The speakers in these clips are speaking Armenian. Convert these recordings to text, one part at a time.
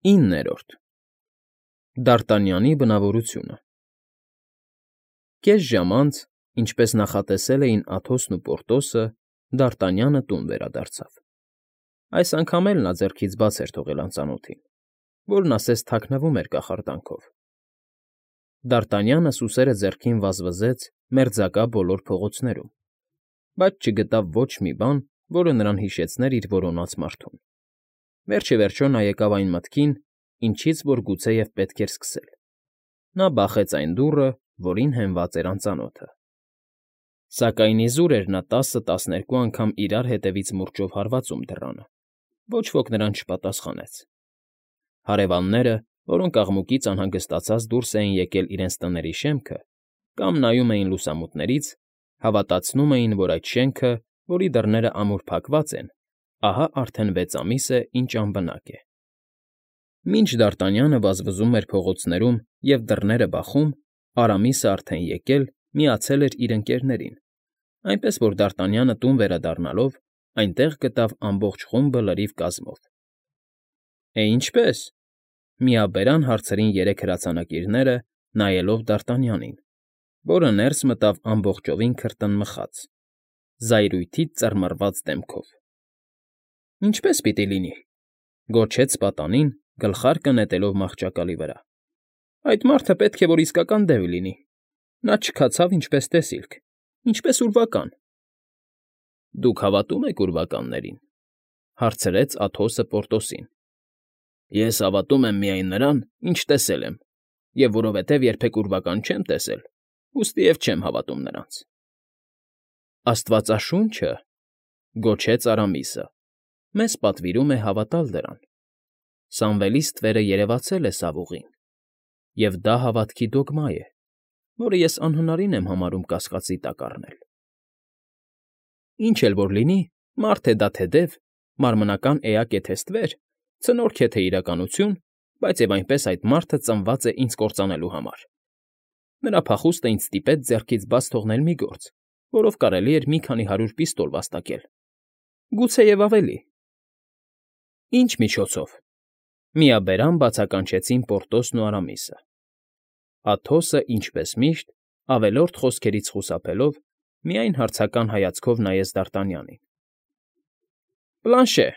9։ Դարտանյանի բնավորությունը։ Կես ժամ անց, ինչպես նախատեսել էին Աթոսն ու Պորտոսը, Դարտանյանը տուն վերադարձավ. այս անգամ էլ նա ձեռքից բաց էր թողել անծանոթին, որն ասես թաքնվում էր կախարդանքով։ Դարտանյանը սուսերը ձեռքին վազվզեց մերձակա բոլոր փողոցներում, բայց չգտավ ոչ մի բան, որը նրան հիշեցներ իր որոնած մարդուն։ Վերջիվերջո նա եկավ այն մտքին, ինչից որ գուցեև պետք էր սկսել. նա բախեց այն դուռը, որին հենված էր անծանոթը։ Սակայն իզուր էր նա 10-12 անգամ իրար հետևից մուրճով հարվածում դռանը, ոչ ոք նրան չպատասխանեց։ Հարևանները, որոնք աղմուկից անհանգստացած դուրս էին եկել իրենց տների շեմքը, կամ նայում էին լուսամուտներից, հավատացնում էին, որ այդ շենքը, որի դռներն ամուր փակված են, ահա արդեն 6 ամիս է, ինչ անբնակ է։ Մինչ Դարտանյանը վազվզում էր փողոցներում և դռները բախում, Արամիսը արդեն եկել, միացել էր իր ընկերներին, այնպես որ Դարտանյանը տուն վերադառնալով այնտեղ գտավ ամբողջ խումբը լրիվ կազմով։ Ինչպե՞ս,֊ միաբերան հարցրին երեք հրացանակիրները, նայելով Դարտանյանին, որը ներս մտավ ամբողջովին քրտնմխած, զայրույթից ծռմռված դեմքով։ ֊ Ինչպե՞ս պիտի լինի,֊ գոչեց պատանին, գլխարկը նետելով մահճակալի վրա։ ֊ Այդ մարդը պետք է որ իսկական դև լինի, նա չքացավ ինչպես տեսիլք, ինչպես ուրվական։ ֊ Դուք հավատում եք ուրվականներին,֊ հարցրեց Աթոսը Պորտոսին։ ֊ Ես հավատում եմ միայն նրան, ինչ տեսել եմ, և որովհետև երբեք ուրվական չեմ տեսել, ուստիև չեմ հավատում նրանց։ ֊ Աստվածաշունչը,֊ գոչեց Արամիսը,֊ մեզ պատվիրում է հավատալ դրան։ Սամվելի ստվերը երևացել է սավ ուղին, և դա հավատքի դոգմա է, որը ես անհնարին եմ համարում կասկածի տակ առնել։ Ինչ էլ որ լինի, մարդ է դա թե դև, մարմնական էակ է թե ստվեր, ցնորք է թե իրականություն, բայց և այնպես այդ մարդը ծնված է ինձ կործանելու համար։ Նրա փախուստը ինձ ստիպեց ձեռքից բաց թողնել մի գործ, որով կարելի էր մի քանի 100 պիստոլ վաստակել, գուցեև ավելի։ ֊ Ինչ միջոցով,֊ միաբերան բացականչեցին Պորտոսն ու Արամիսը։ Աթոսը, ինչպես միշտ, ավելորդ խոսքերից խուսափելով, միայն հարցական հայացքով նայեց Դարտանյանին։ ֊ Պլանշե,֊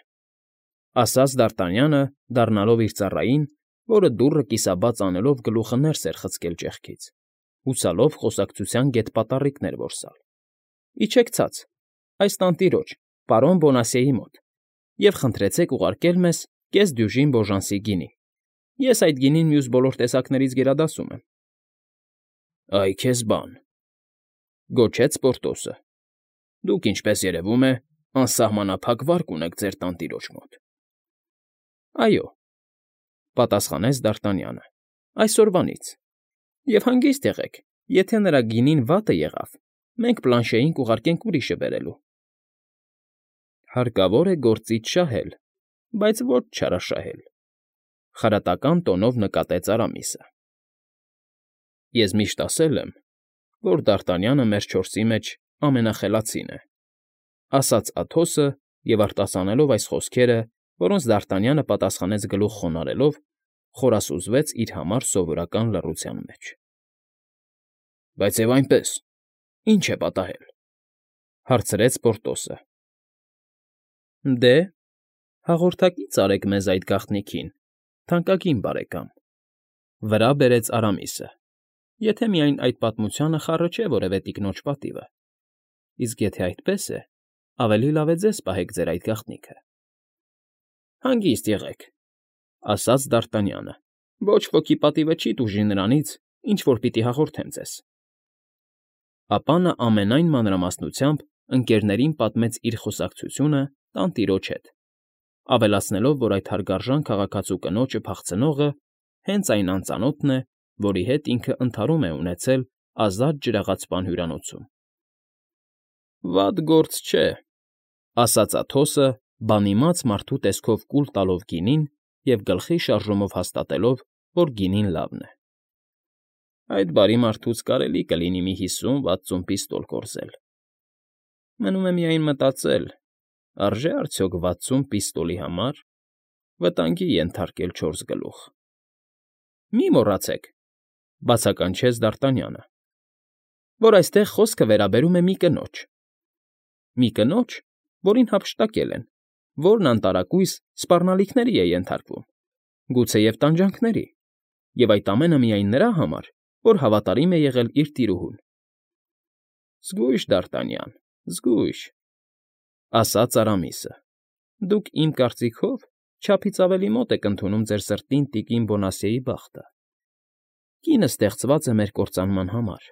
ասաց Դարտանյանը, դառնալով իր ծառային, որը դուռը կիսաբաց անելով գլուխը ներս էր խցկել ճեղքից, հուսալով խոսակցության գետպատառիկներ որսալ։ ֊ Իջեք ցած, այս տանտիրոջ, պարոն Բոնասիեի մոտ, և խնդրեցեք ուղարկել մեզ կես դյուժին բոժանսի գինի, ես այդ գինին մյուս բոլոր տեսակներից գերադասում եմ։ ֊ Այ քեզ բան,֊ գոչեց Պորտոսը,֊ դուք, ինչպես երևում է, անսահմանափակ վարկ ունեք ձեր տանտիրոջ մոտ։ ֊ Այո,֊ պատասխանեց Դարտանյանը,֊ այսօրվանից, և հանգիստ եղեք, եթե նրա գինին վատը եղավ, մենք Պլանշեին կուղարկենք ուրիշը բերելու։ ֊ Հարկավոր է գործից շահել, բայց ոչ չարաշահել,֊ խրատական տոնով նկատեց Արամիսը։ ֊ Ես միշտ ասել եմ, որ Դարտանյանը մեր չորսի մեջ ամենախելացին է,֊ ասաց Աթոսը և, արտասանելով այս խոսքերը, որոնց Դարտանյանը պատասխանեց գլուխ խոնարհելով, խորասուզվեց իր համար սովորական լռության մեջ։ ֊ Բայց և այնպես, ի՞նչ է պատահել,֊ հարցրեց Պորտոսը։ ֊ Դե, հաղորդակից արեք մեզ այդ գաղտնիքին, թանկագին բարեկամ,֊ վրա բերեց Արամիսը,֊ եթե միայն այդ պատմությանը խառը չէ որևէ տիկնոջ պատիվը, իսկ եթե այդպես է, ավելի լավ է ձեզ պահեք ձեր այդ գաղտնիքը։ ֊ Հանգիստ եղեք,֊ ասաց Դարտանյանը,֊ ոչ ոքի պատիվը չի տուժի նրանից, ինչ որ պիտի հաղորդեմ ձեզ։ Ապա նա ամենայն մանրամասնությամբ ընկերներին պատմեց իր խոսակցությունը տանտիրոջ հետ, ավելացնելով, որ այդ հարգարժան քաղաքացու կնոջը փախցնողը հենց այն անծանոթն է, որի հետ ինքը ընդհարում է ունեցել ազատ ջրաղացպան հյուրանոցում։ ֊ Վատ գործ չէ,֊ ասաց Աթոսը, բանիմաց մարդու տեսքով կուլ տալով գինին և գլխի շարժումով հաստատելով, որ գինին լավն է։ ֊ Այդ բարի մարդուց կարելի կլինի մի 50-60 պիստոլ կորզել։ Մնում է միայն մտածել, արժե՞ արդյոք 60 պիստոլի համար։ վտանգի ենթարկել 4 գլուխ։ ֊ Մի մոռացեք,֊ բացականչեց Դարտանյանը,֊ որ այստեղ խոսքը վերաբերում է մի կնոջ։ Մի կնոջ, որին հափշտակել են, որն անտարակույս սպառնալիքների է ենթարկվում, գուցեև տանջանքների, և այդ ամենը միայն նրա համար, որ հավատարիմ է եղել իր տիրուհուն։ ֊ Զգույշ, Դարտանյան, զգույշ,֊ ասաց Արամիսը,֊ դուք, իմ կարծիքով, չափից ավելի մոտ եք ընդունում ձեր սրտին տիկին Բոնասիեի բախտը։ Կինը ստեղծված է մեր կործանման համար,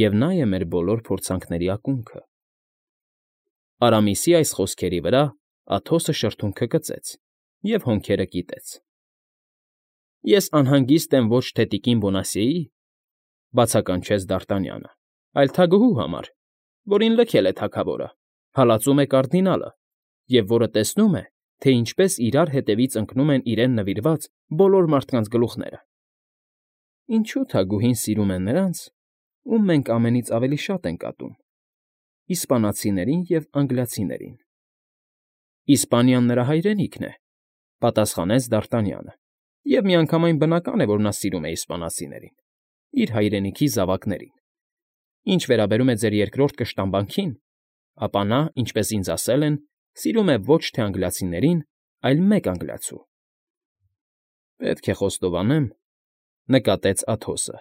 և նա է մեր բոլոր փորձանքների ակունքը։ Արամիսի այս խոսքերի վրա Աթոսը շրթունքը կծեց և հոնքերը կիտեց։ ֊ Ես անհանգիստ եմ ոչ թե տիկին Բոնասիեի, բացականչեց Դարտանյանը, այլ թագուհու համար, որին լքել է թագավորը, հալածում է կարդինալը, և որը տեսնում է, թե ինչպես իրար հետևից ընկնում են իրեն նվիրված բոլոր մարդկանց գլուխները։ Ինչո՞ւ թագուհին սիրում է նրանց, ում մենք ամենից ավելի շատ ենք ատում՝ իսպանացիներին և անգլիացիներին։ ֊ Իսպանիան նրա հայրենիքն է,֊ պատասխանեց Դարտանյանը,֊ և միանգամայն բնական է, որ նա սիրում է իսպանացիներին, իր հայրենիքի զավակներին։ Ինչ վերաբերում է ձեր երկրորդ կշտամբանքին, ապա նա, ինչպես ինձ ասել են, սիրում է ոչ թե անգլիացիներին, այլ մեկ անգլիացու։ ֊ Պետք է խոստովանեմ,֊ նկատեց Աթոսը,֊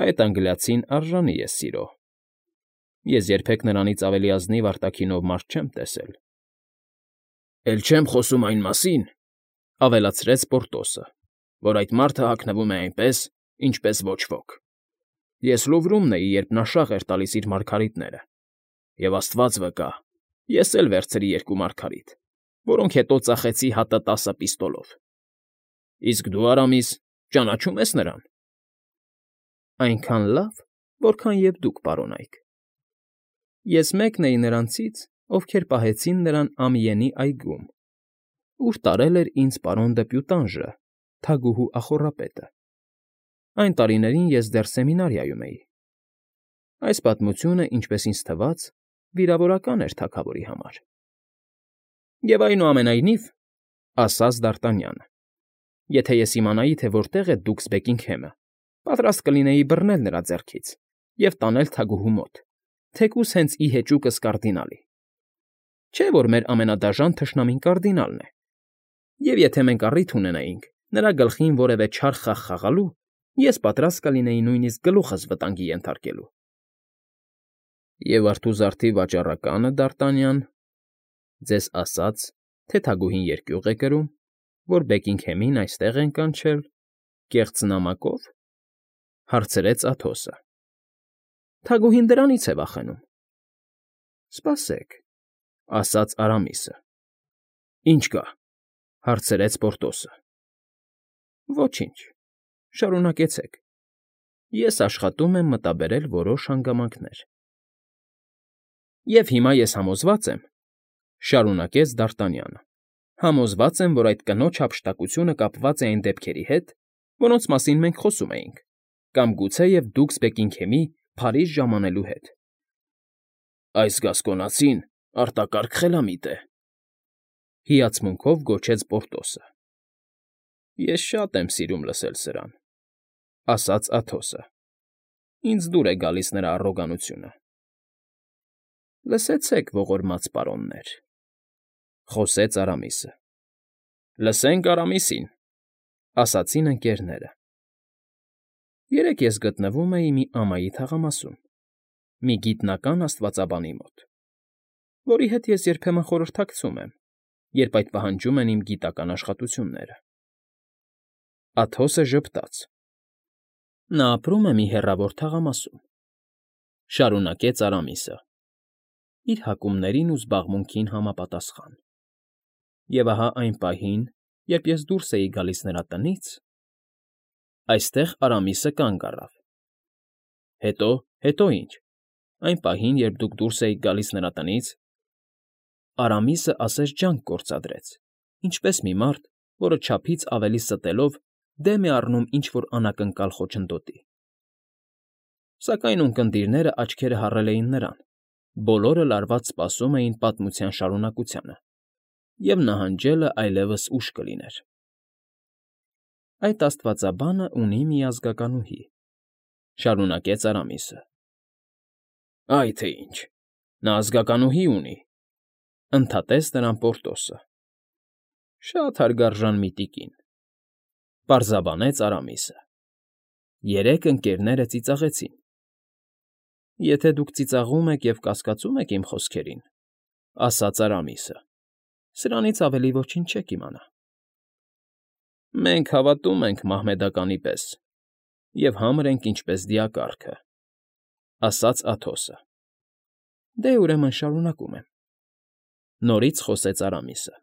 այդ անգլիացին արժանի է սիրո։ Ես երբեք նրանից ավելի ազնիվ արտաքինով մարդ չեմ տեսել։ ֊ Էլ չեմ խոսում այն մասին,֊ ավելացրեց Պորտոսը,֊ որ այդ մարդը հագնվում է այնպես, ինչպես ոչ ոք։ Ես Լուվրումն էի, երբ նա շաղ էր տալիս իր մարգարիտները, և աստված վկա, ես էլ վերցրի 2 մարգարիտ, որոնք հետո ծախեցի հատը 10 պիստոլով։ Իսկ դու, Արամիս, ճանաչո՞ւմ ես նրան։ ֊ Այնքան լավ, որքան և դուք, պարոնայք։ Ես մեկն էի նրանցից, ովքեր պահեցին նրան Ամիենի այգում, ուր տարել էր ինձ պարոն դեպյուտանժը, թագուհու ախոռապետը։ Այն տարիներին ես դեռ սեմինարիայում էի։ Այս պատմությունը, ինչպես ինձ թվաց, վիրավորական էր թագավորի համար։ ֊ Եվ այնուամենայնիվ,֊ ասաց Դարտանյանը,֊ եթե ես իմանայի, թե որտեղ է դուքս Բեքինգհեմը, պատրաստ կլինեի բռնել նրա ձեռքից և տանել թագուհու մոտ, թեկուզ հենց ի հեճուկս կարդինալի։ Չէ՞ որ մեր ամենադաժան թշնամին կարդինալն է, և եթե մենք առիթ ունենայինք նրա գլխին որևէ չար խաղ խաղալու, ես պատրաստ կլինեի նույնիսկ գլուխս վտանգի ենթարկելու։ ֊ Եվ արթուզարդի վաճառակա՞նը, Դարտանյան, ձեզ ասաց, թե թագուհին երկյուղ է կրում, որ Բեքինգհեմին այստեղ են կանչել, կեղծ նամակո՞վ,֊ հարցրեց Աթոսը։ ֊ Թագուհին դրանից է վախենում։ ֊ Սպասեք,֊ ասաց Արամիսը։ ֊ Ինչ կա,֊ հարցրեց Պորտոսը։ ֊ Ոչինչ, շարունակեցեք, ես աշխատում եմ մտաբերել որոշ հանգամանքներ։ ֊ Եվ հիմա ես համոզված եմ,֊ շարունակեց Դարտանյանը,֊ համոզված եմ, որ այդ կնոջ հափշտակությունը կապված է այն դեպքերի հետ, որոնց մասին մենք խոսում էինք, կամ գուցեև դուքս Բեքինգհեմի Փարիզ ժամանելու հետ։ ֊ Այս գասկոնացին արտակարգ խելամիտ է,֊ հիացմունքով գոչեց Պորտոսը։ ֊ Ես շատ եմ սիրում լսել սրան,֊ ասաց Աթոսը։ Ինձ դուր է գալիս նրա առոգանությունը։ ֊ Լսեցեք, ողորմած պարոններ,֊ խոսեց Արամիսը։ ֊ Լսենք Արամիսին,֊ ասացին ընկերները։ Երեկ ես գտնվում էի մի ամայի թաղամասում, մի գիտնական աստվածաբանի մոտ, որի հետ ես երբեմն խորհրդակցում եմ, երբ այդ պահանջում են իմ գիտական աշխատությունները։ Աթոսը ժպտաց։ Նա ապրում է մի հեռավոր թաղամասում,֊ շարունակեց Արամիսը,֊ իր հակումներին ու զբաղմունքին համապատասխան։ Եվ ահա այն պահին, երբ ես դուրս էի գալիս նրա տնից, այստեղ Արամիսը կանգ առավ։ Հետո ինչ, այն պահին, երբ դուք դուրս էիք գալիս նրա տնից, Արամիսը ասես ջանք գործադրեց, ինչպես մի մարդ, որը չափից ավելի ստելով դեմ է առնում ինչ֊որ անակնկալ խոչընդոտի։ Սակայն ունկնդիրները աչքերը հառել էին նրան, բոլորը լարված սպասում էին պատմության շարունակությանը, և նահանջելը այլևս ուշ կլիներ։ Այդ աստվածաբանը ունի մի ազգականուհի,֊ շարունակեց Արամիսը։ Այ թե ինչ, նա ազգականուհի ունի,֊ ընդհատեց նրան Պորտոսը։ Շատ հարգարժան մի տիկին,֊ պարզաբանեց Արամիսը։ Երեք ընկերները ծիծաղեցին։ Եթե դուք ծիծաղում եք և կասկածում եք իմ խոսքերին,֊ ասաց Արամիսը,֊ սրանից ավելի ոչինչ չեք իմանա։ Մենք հավատում ենք մահմեդականի պես և համր ենք ինչպես դիակառքը,֊ ասաց Աթոսը։ Դե, ուրեմն շարունակում եմ,֊ նորից խոսեց Արամիսը։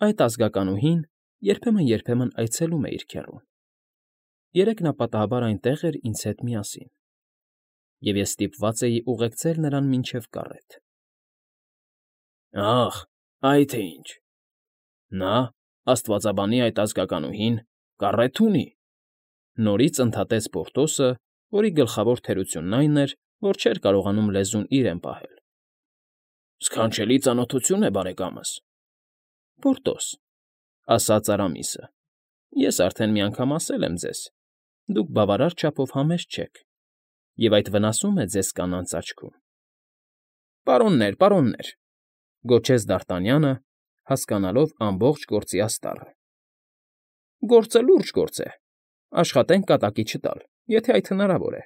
Այդ ազգականուհին երբեմն այցելում է իր քեռուն։ Երեկ նա պատահաբար այնտեղ էր ինձ հետ միասին, և ես ստիպված էի ուղեկցել նրան մինչև կառետ։ Ախ, այ թե ինչ… Նա, աստվածաբանի այդ ազգականուհին, կառետ ունի,֊ նորից ընդհատեց Պորտոսը, որի գլխավոր թերությունն այն էր, որ չէր կարողանում լեզուն իրեն պահել։ Սքանչելի ծանոթություն է, բարեկամս։ Պորտոս,֊ ասաց Արամիսը,֊ ես արդեն մի անգամ ասել եմ ձեզ. դուք բավարար չափով համեստ չեք, և այդ վնասում է ձեզ կանանց աչքում։ Պարոններ, պարոններ,֊ գոչեց Դ'Արտանյանը, հասկանալով ամբողջ գործի աստառը։ Գործը լուրջ գործ է, աշխատենք կատակի չտալ, եթե այդ հնարավոր է։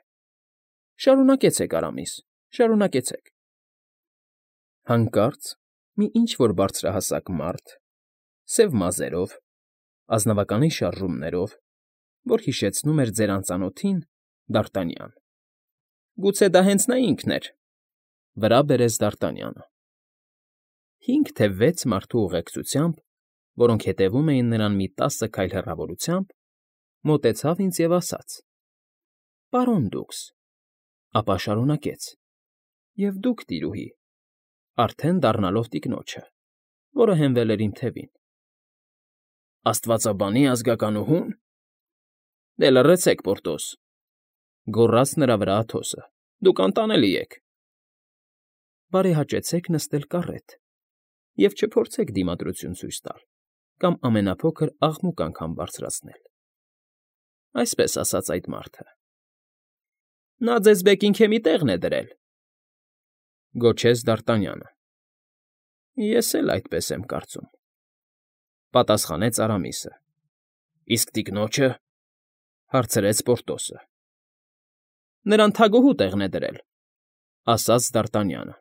Շարունակեցեք, Արամիս, շարունակեցեք։ Հանկարծ մի ինչ֊որ բարձրահասակ մարդ, սև մազերով, ազնվականի շարժումներով, որ հիշեցնում էր ձեր անծանոթին, Դ'Արտանյան։ Գուցե դա հենց նա ինքն էր,֊ վրա բերեց Դ'Արտանյանը։ 5 թե 6 մարդու ուղեկցությամբ, որոնք հետևում էին նրան մի 10 քայլ հեռավորությամբ, մոտեցավ ինձ և ասաց. Պարոն դուքս, ապա շարունակեց. և դուք, տիրուհի, արդեն դառնալով տիկնոջը, որը հենվել էր իմ թևին։ Աստվածաբանի ազգականուհո՞ւն… Դե լռեցեք, Պորտոս,֊ գոռաց նրա վրա Աթոսը,֊ դուք անտանելի եք։ Բարեհաճեցեք նստել կառետ և չփորձեք դիմադրություն ցույց տալ կամ ամենափոքր աղմուկ անգամ բարձրացնել,֊ այսպես ասաց այդ մարդը։ Նա ձեզ Բեքինգհեմի տեղն է դրել,֊ գոչեց Դ'Արտանյանը։ Ես էլ այդպես եմ կարծում,֊ պատասխանեց Արամիսը։ Իսկ տիկնոջը,֊ հարցրեց Պորտոսը։ Նրան թագուհու տեղն է դրել,֊ ասաց Դ'Արտանյանը։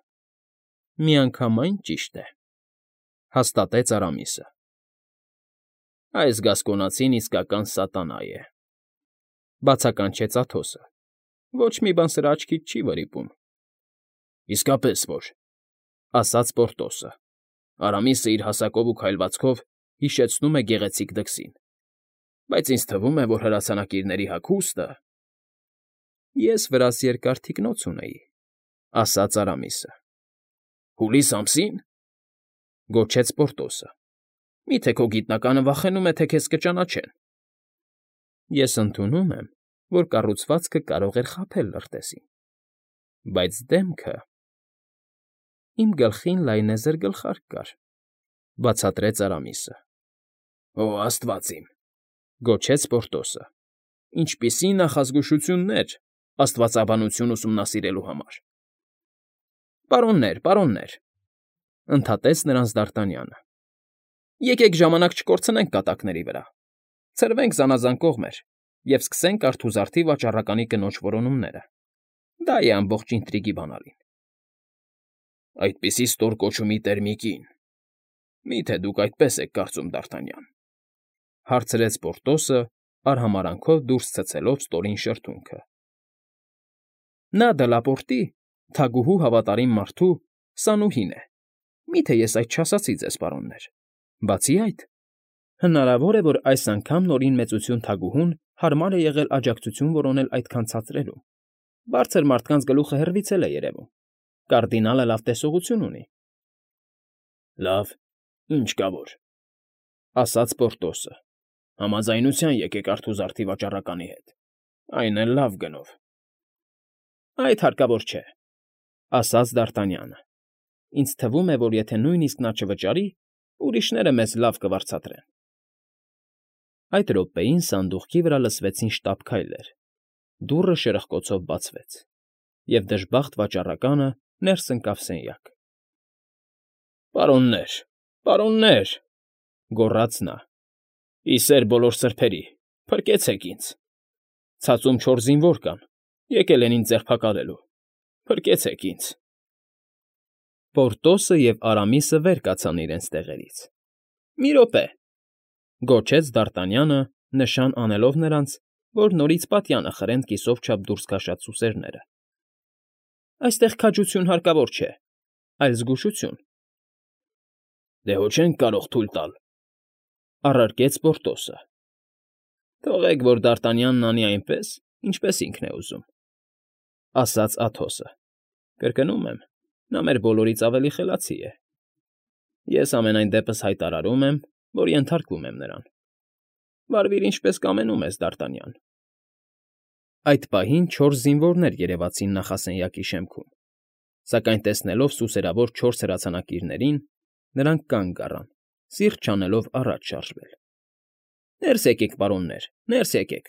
Միանգամայն ճիշտ է,֊ հաստատեց Արամիսը։ Այս գասկոնացին իսկական սատանա է,֊ բացականչեց Աթոսը։ Ոչ մի բան սրա աչքից չի վրիպում։ Իսկապես որ,֊ ասաց Պորտոսը։ Արամիսը իր հասակով ու քայլվածքով հիշեցնում է գեղեցիկ դքսին, բայց ինձ թվում է, որ հրացանակիրների հագուստը… Ես վրաս երկար թիկնոց ունեի,֊ ասաց Արամիսը։ Հուլիս ամսի՞ն,֊ գոչեց Պորտոսը։ Մի՞թե քո գիտնականը վախենում է, թե քեզ կճանաչեն։ Ես ընդունում եմ, որ կառուցվածքը կարող էր խաբել լրտեսին, բայց դեմքը… Իմ գլխին լայնեզր գլխարկ կար,֊ բացատրեց Արամիսը։ Օ աստված իմ,֊ գոչեց Պորտոսը։ Ինչպիսի նախազգուշություններ աստվածաբանություն ուսումնասիրելու համար։ Պարոններ, պարոններ,֊ ընդհատեց նրանց Դ'Արտանյանը,֊ եկեք ժամանակ չկորցնենք կատակների վրա, ցրվենք զանազան կողմեր և սկսենք արթուզարդի վաճառականի կնոջ որոնումները. դա է ամբողջ ինտրիգի բանալին։ Այդպիսի ստորկոչումի տեր մի կին… Մի՞թե դուք այդպես եք կարծում, Դ'Արտանյան,֊ հարցրեց Պորտոսը, արհամարհանքով դուրս ցցելով ստորին շրթունքը։ Նա Դլապորտի, թագուհու հավատարիմ մարդու, Սանուհին է։ Մի՞թե ես այդ չասացի ձեզ, պարոններ։ Բացի այդ, հնարավոր է, որ այս անգամ Նորին Մեծություն թագուհուն հարմար է եղել աջակցություն որոնել այդքան ցածրերում։ Բարձր մարդկանց գլուխը հեռվից էլ է երևում։ Կարդինալը լավ տեսողություն ունի։ Լավ, ինչ կա որ,֊ ասաց Պորտոսը։ Համաձայնության եկեք արթուզարդի վաճառականի հետ, այն էլ լավ գնով։ Այդ հարկավոր չէ,֊ ասաց Դ'Արտանյանը։ Ինձ թվում է, որ եթե նույնիսկ նա չվճարի, ուրիշները մեզ լավ կվարձատրեն։ Այդ րոպեին սանդուղքի վրա լսվեցին շտապ քայլեր, դուռը շրխկոցով բացվեց, և դժբախտ վաճառականը ներս ընկավ սենյակ։ Պարոններ, պարոններ, գոռաց նա, ի սեր բոլոր սրբերի, փրկեցեք ինձ, ցածում 4 զինվոր կան, եկել են ինձ ձերբակալելու, փրկեցեք ինձ։ Պորտոսը և Արամիսը վեր կացան իրենց տեղերից։ Մի րոպե, գոչեց Դարտանյանը, նշան անելով նրանց, որ նորից պատյանը խրեն կիսով չափ դուրս քաշած սուսերները։ Այստեղ քաջություն հարկավոր չէ, այլ զգուշություն։ Դե հո չենք կարող թույլ տալ, առարկեց Պորտոսը։ Թողեք, որ Դարտանյանն անի այնպես, ինչպես ինքն է ուզում, ասաց Աթոսը։ Կրկնում եմ, նա մեր բոլորից ավելի խելացի է։ Ես ամենայն դեպս հայտարարում եմ, որ ենթարկվում եմ նրան։ Վարվիր ինչպես կամենում ես, Դարտանյան։ Այդ պահին 4 զինվորներ երևացին նախասենյակի շեմքում, սակայն տեսնելով սուսերավոր 4 հրացանակիրներին, նրանք կանգ առան, սիրտ չանելով առաջ շարժվել։ Ներս եկեք, պարոններ, ներս եկեք,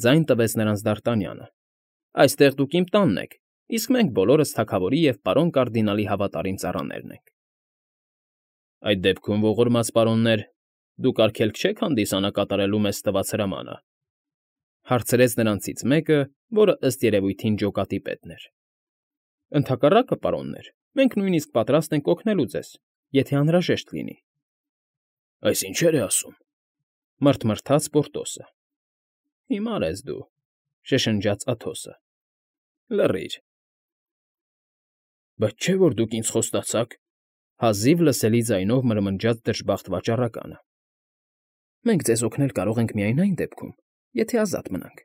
ձայն տվեց նրանց Դարտանյանը։ Այստեղ դուք իմ տանն եք, իսկ մենք բոլորս թագավորի և պարոն կարդինալի հավատարիմ ծառաներն ենք։ Այդ դեպքում, ողորմած պարոններ, դուք արգելք չեք հանդիսանա կատարելու մեզ տված հրամանը, հարցրեց նրանցից մեկը, որը ըստ երևույթին ջոկատի պետն էր։ Ընդհակառակը, պարոններ, մենք նույնիսկ պատրաստ ենք օգնելու ձեզ, եթե անհրաժեշտ լինի։ Այս ինչեր է ասում, մռթմռթաց Պորտոսը։ Հիմար ես դու, շշնջաց Աթոսը։ Լռիր։ Բայց չէ՞ որ դուք ինձ խոստացաք, հազիվ լսելի ձայնով մրմնջաց դժբախտ վաճառականը։ Մենք ձեզ օգնել կարող ենք միայն այն դեպքում, եթե ազատ մնանք։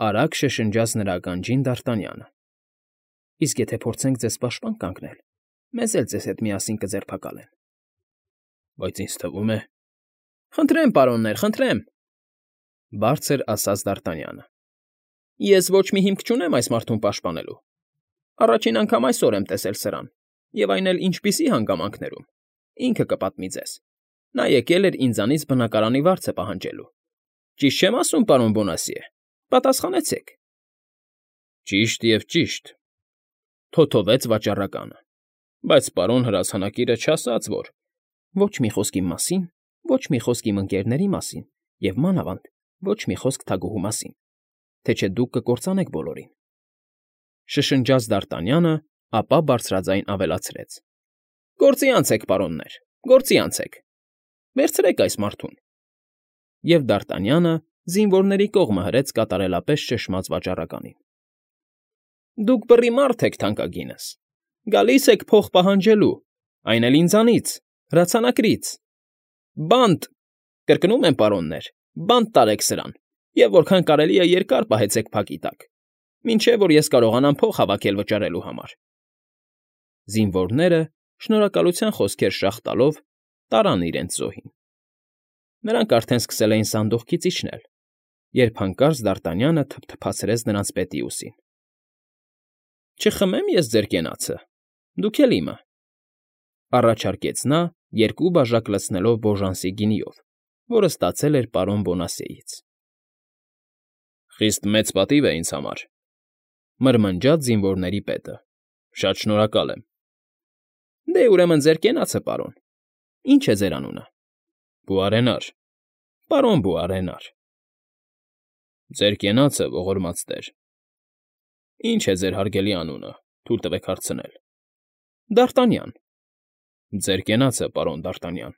Արագ շշնջաց նրա ականջին Դարտանյանը։ Իսկ եթե փորձենք ձեզ պաշտպան կանգնել, մեզ էլ ձեզ հետ միասին կձերբակալեն։ Բայց ինձ թվում է… Խնդրեմ, պարոններ, խնդրեմ, բարձր ասաց Դարտանյանը։ Ես ոչ մի հիմք չունեմ այս մարդուն պաշտպանելու։ Առաջին անգամ այսօր եմ տեսել սրան, և այն էլ ինչպիսի հանգամանքներում։ Ինքը կպատմի ձեզ։ Նա եկել էր ինձանից բնակարանի վարձը պահանջելու։ Ճիշտ չեմ ասում, պարոն Բոնասիե, պատասխանեցեք։ Ճիշտ և ճիշտ, թոթովեց վաճառականը։ Բայց պարոն հրացանակիրը չասաց, որ… Ոչ մի խոսք իմ մասին, ոչ մի խոսք իմ ընկերների մասին և, մանավանդ, ոչ մի խոսք թագուհու մասին, թե չէ դուք կկործանեք բոլորին։ Շշնջաց Դարտանյանը, ապա բարձրաձայն ավելացրեց. Գործի անցեք, պարոններ, գործի անցեք։ Վերցրեք այս մարդուն։ Եվ Դարտանյանը զինվորների կողմը հրեց կատարելապես ճշմած վաճառականին։ Դուք բռի մարդ եք, թանկագինս, գալիս եք փող պահանջելու, այն էլ ինձանից, հրացանակրից։ Բանտ, կրկնում եմ, պարոններ, բանտ տարեք սրան, և որքան կարելի է երկար պահեցեք փակի տակ, մինչև որ ես կարողանամ փող հավաքել վճարելու համար։ Զինվորները, շնորհակալության խոսքեր շաղ տալով, տարան իրենց զոհին։ Նրանք արդեն սկսել էին սանդուղքից իջնել, երբ հանկարծ Դարտանյանը թփթփացրեց նրանց պետի ուսին։ Չխմեմ ես ձեր կենացը, դուք էլ իմը, առաջարկեց նա, 2 բաժակ լցնելով Բոժանսի գինիով, որը ստացել էր պարոն Բոնասիեից։ Խիստ մեծ պատիվ է ինձ համար, մրմնջաց զինվորների պետը, շատ շնորհակալ եմ։ Դե ուրեմն ձեր կենացը, պարոն, ի՞նչ է ձեր անունը։ Բուարենար, պարոն Բուարենար։ Ձեր կենացը, ողորմած տեր։ Ինչ է ձեր հարգելի անունը, թույլ տվեք հարցնել։ Դարտանյան։ Ձեր կենացը, պարոն Դարտանյան։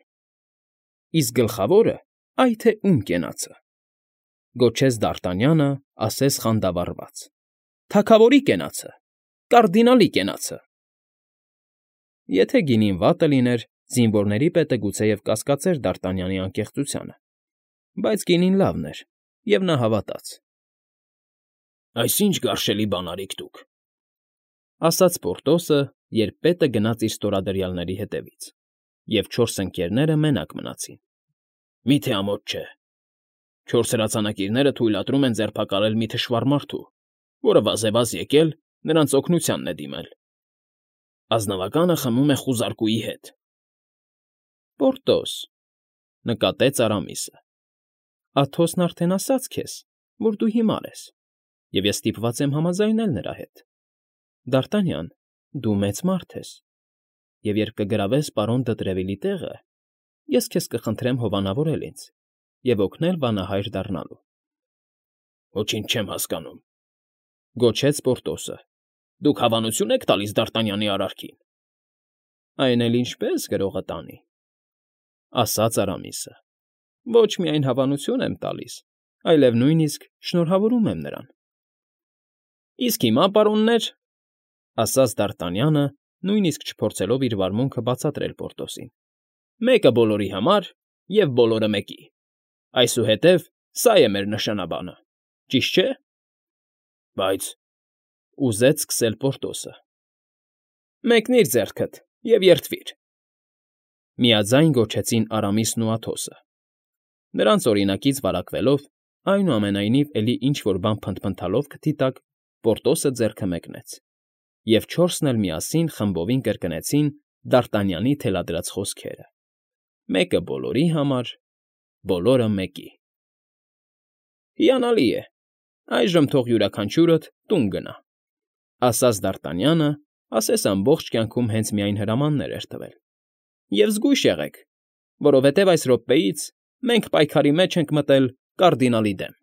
Իսկ գլխավորը, այ թե ում կենացը, գոչեց Դարտանյանը, ասես խանդավառված։ Թագավորի կենացը, կարդինալի կենացը։ Եթե գինին վատը լիներ, զինվորների պետը գուցեև կասկածեր Դարտանյանի անկեղծությանը, բայց գինին լավն էր, և նա հավատաց։ Այս ինչ գարշելի բան արիք դուք, ասաց Պորտոսը, երբ պետը գնաց իր ստորադրյալների հետևից, և 4 ընկերները մենակ մնացին։ Մի՞թե ամոթ չէ։ 4 հրացանակիրները թույլատրում են ձերբակալել մի թշվառ մարդու, որը վազևազ եկել նրանց օգնությանն է դիմել։ Ազնվականը խմում է խուզարկուի հետ։ Պորտոս,֊ նկատեց Արամիսը։ Աթոսն արդեն ասաց քեզ, որ դու հիմար ես, և ես ստիպված եմ համաձայնել նրա հետ։ Դ'Արտանյան, դու մեծ մարդ ես, և երբ կգրավես պարոն Դտրևիլի տեղը, ես քեզ կխնդրեմ հովանավորել ինձ և օգնել վանահայր դառնալու։ ֊ Ոչինչ չեմ հասկանում,֊ գոչեց Պորտոսը։ Դուք հավանություն եք տալիս Դ'Արտանյանի արարքին։ ֊ Այն էլ ինչպե՜ս գրողը տանի,֊ ասաց Արամիսը։ Ոչ միայն հավանություն եմ տալիս, այլև նույնիսկ շնորհավորում եմ նրան։ ֊ Իսկ հիմա, պարոններ,֊ ասաց Դ'Արտանյանը, նույնիսկ չփորձելով իր վարմունքը բացատրել Պորտոսին,֊ մեկը բոլորի համար և բոլորը մեկի։ Այսուհետև սա է մեր նշանաբանը, ճիշտ չէ՞։ ֊ Բայց,֊ ուզեց սկսել Պորտոսը։ ֊ Մեկնիր ձեռքդ և երդվիր,֊ միաձայն գոչեցին Արամիսն ու Աթոսը։ Նրանց օրինակից վարակվելով, այնուամենայնիվ էլի ինչ֊որ բան փնթփնթալով քթի տակ, Պորտոսը ձեռքը մեկնեց, և չորսն էլ միասին խմբովին կրկնեցին Դ'Արտանյանի թելադրած խոսքերը. «Մեկը բոլորի համար, բոլորը մեկի»։ ֊ Հիանալի է, այժմ թող յուրաքանչյուրդ տուն գնա,֊ ասաց Դ'Արտանյանը, ասես ամբողջ կյանքում հենց միայն հրամաններ էր տվել,֊ և զգույշ եղեք, որովհետև այս րոպեից մենք պայքարի մեջ ենք մտել կարդինալի դեմ։